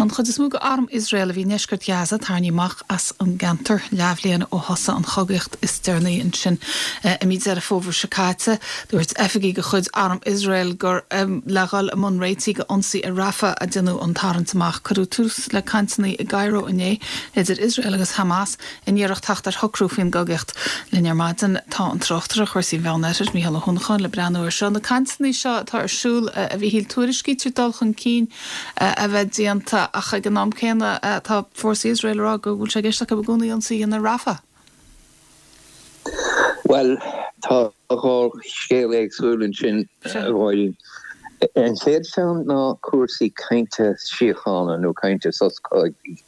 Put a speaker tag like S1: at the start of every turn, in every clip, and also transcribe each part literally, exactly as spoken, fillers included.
S1: Tá an chuid is mó d'arm Iosrael a bhí i ndeisceart Ghaza tarraingthe amach as an gceantar leathbhliain ó thosaigh an chogaíocht is deireanaí ansin i mí Deireadh Fómhair seo caite. Dúirt oifigigh de chuid arm Iosrael gur le dhul i mbun réitigh d'ionsaí ar Rafah a déanadh an tarraingt amach. Cuireadh tús le cainteanna i gCairo inné idir Iosrael agus Hamas in iarracht teacht ar shocrú faoin gcogaíocht. Linn ar maidin tá an tráchtaire cúrsaí Mheánoirthir Mícheál Ó hUanacháin le breathnú air seo. Na cainteanna seo atá ar siúl a Mhíchíl tuairiscítear dul chun cinn a bheith déanta ach ag an am céanna tá fórsaí Iosrael ag rá go bhfuil sé i gceist acu i gcónaí ionsaí a dhéanamh ar Rafah.
S2: Well tá dhá scéal éagsúil ansin bháin. An chéad cheann ná cúrsaí cainte síochána nó cainte sos cogaidh.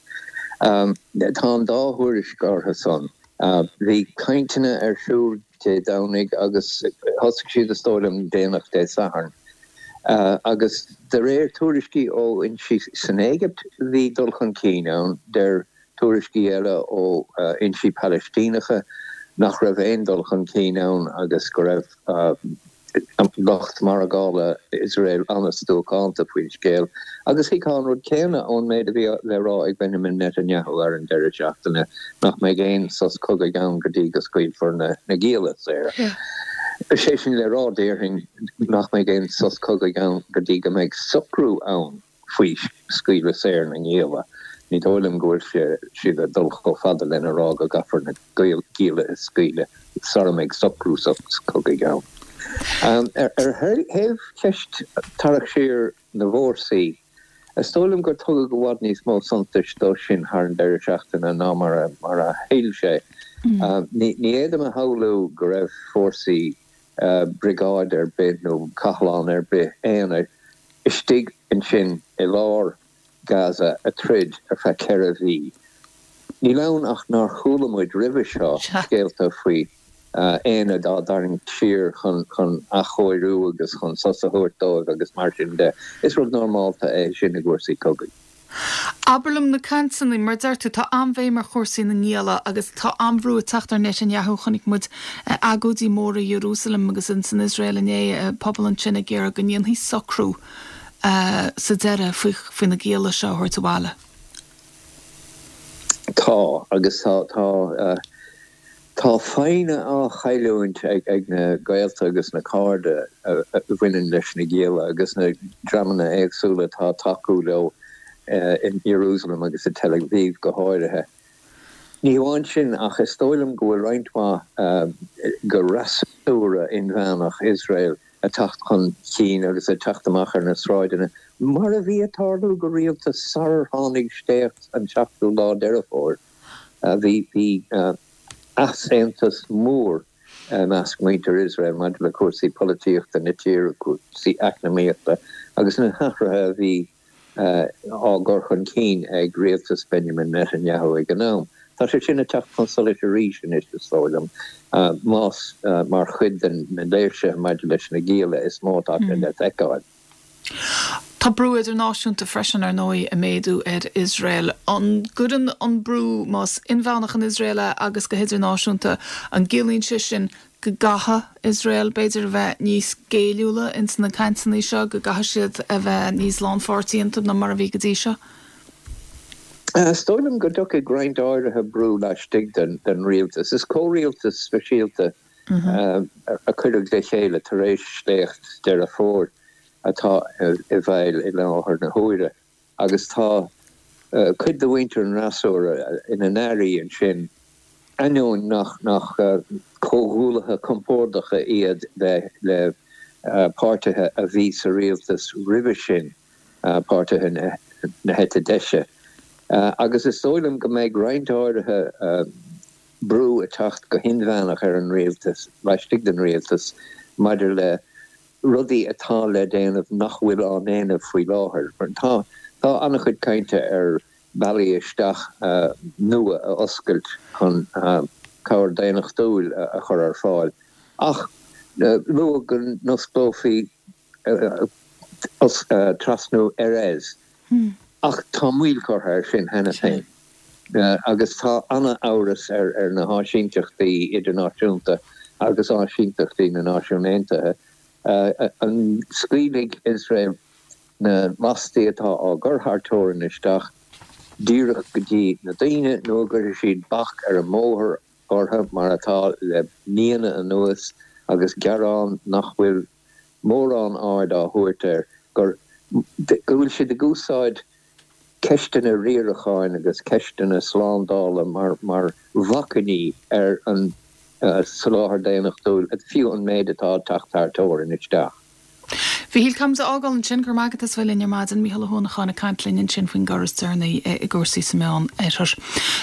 S2: Um, tá an dá thuairisc orthu san. Uh, bhí cainteanna ar siúl Dé Domhnaigh agus thosaigh siad is dóigh liom déanach Dé Sathairn. Uh, agus de réir tuairiscí ó fhoinsí san Éigipt bhí dul chun cinn ann deir tuairiscí eile ó uh, fhoinsí Palaistíneacha nach raibh aon dul chun cinn ann agus go raibh uh, lucht margála Iosrael an-stuacánta faoin scéal agus bhí an rud céanna ón méid a bhí le rá ag Benjamin Netanyahu ar an deireadh seachtaine nach mbeidh aon sos cogaidh ann go dtí go scaoilfear na na gialla saor. Sé sin le rá déarfainn nach mbeidh aon sos cogaidh ann go dtí go mbeidh socrú ann faoi scaoileadh saor na ngialla. Ní dóigh liom go bhfuil siad ag dul chomh fada lena rá go gcaithfear na gialla a scaoileadh sara mbeidh socrú sos cogaidh ann. Um, ar thaobh cheist tarrac siar na bhfórsaí, is dóigh liom gur tugadh i bhfad níos mó suntais dó sin thar an deireadh seachtaine ná mar a mar a thuill sé. Mm. Ní fhéadaim a shamhlú go raibh fórsaí uh, briogáid ar bith nó cathlán ar bith aonair istigh ansin i lár Gaza ag troid ar feadh ceithre mhí. Níl ann ach nár chuala muid roimhe seo scéalta faoi aonaid á dtarraingt siar chun chun athchóiriú agus chun sos a thabhairt dóibh agus mar sin de. Is rud normálta é sin i gcúrsaí cogaidh.
S1: Abair liom na cainteanna mar deir tú tá an-bhéim ar chúrsaí na ngialla agus tá an-bhrú ag teacht ar Netanyahu chonaic muid agóidí móra Jerusalem agus in san Iosrael inné pobal ansin ag iarraidh go ndéanfaí socrú sa deireadh faoi faoi na gialla seo a thabhairt abhaile.
S2: Tá agus tá tá Tá foighne á chailliúint ag ag na gaolta agus na cairde a bhaineann leis na gialla agus na dreamanna éagsúla atá ag tacú leo in Jerusalem agus i Tel Aviv go háirithe. Ní hamháin sin ach is dóigh liom go bhfuil roinnt mhaith de fhreasúra inmheánach Iosrael ag teacht chun cinn agus ag teacht amach ar na sráideanna, mar a bhí ag tarlú go rialta sarar tháinig sléacht an seachtú lá Deireadh Fómhair. Bhí bhí easaontas mór i measc muintir Iosrael maidir le cúrsaí polaitíochta na tíre, cúrsaí eacnamaíochta agus na hathruithe a bhí á gcur chun cinn ag rialtas Benjamin Netanyahu ag an am. Tá sé sin ag teacht chun solais arís anois is dóigh liom, más mar chuid de na léirsithe maidir leis na gialla is mó atá sé le feiceáil.
S1: Tá brú idirnáisiúnta freisin ar ndóigh ag méadú ar Iosrael. An gcuireann an brú más inmheánach in Iosrael é agus go hidirnáisiúnta, an gciallaíonn sé sin go gcaithfidh Iosrael b'fhéidir a bheith níos géilliúla ins na cainteanna seo, go gcaithfidh siad a bheith níos lánpháirtí iontu ná mar a bhí go dtí seo?
S2: Is dóigh liom go dtiocfaidh roinnt áirithe brú laistigh den den rialtas. Is comhrialtas speisialta a cuireadh le chéile tar éis sléacht Deireadh Fómhair. atá i bhfeighil i láthair na huaire agus tá cuid de mhuintir an fhreasúra ina n-airí ansin, ainneoin nach nach comhghuaillithe compordacha iad le le páirtithe a bhí sa rialtas roimhe sin, páirtithe na heite deise. Agus is dóigh liom go mbeidh roinnt áirithe brú ag teacht go hinmheánach ar an rialtas, laistigh den rialtas, maidir le rudaí atá le déanamh nach bhfuil á ndéanamh faoi láthair. Tá tá an-chuid cainte ar bealaí isteach nua a oscailt chun cabhair daonnachtúil a chur ar fáil, ach luadh go n-osclófaí trasnú Erez. Ach tá moill curtha air sin cheana féin agus tá an-amhras ar na háisínteachtaí idirnáisiúnta agus áisínteachtaí na Náisiún Aontaithe. An scaoilfidh Iosrael na lastaí atá á gcur thar teorainn isteach díreach go dtí na daoine nó an gcuirfidh siad bac ar an mbóthar orthu mar atá le míonna anuas agus gearán nach bhfuil mórán aird á thabhairt air gur go bhfuil siad ag úsáid ceisteanna riaracháin agus ceisteanna slándála mar mar bhacainní ar an soláthar daonnachtúil, fiú an méid atá ag teacht thar teorainn isteach.
S1: Mhíchíl, caithfimid a fhágáil ansin, go raibh maith agat as bheith linn ar maidin, Mícheál Ó hUanacháin ag caint linn ansin faoin gcor is deireanaí i gcúrsaí sa Meán Oirthear.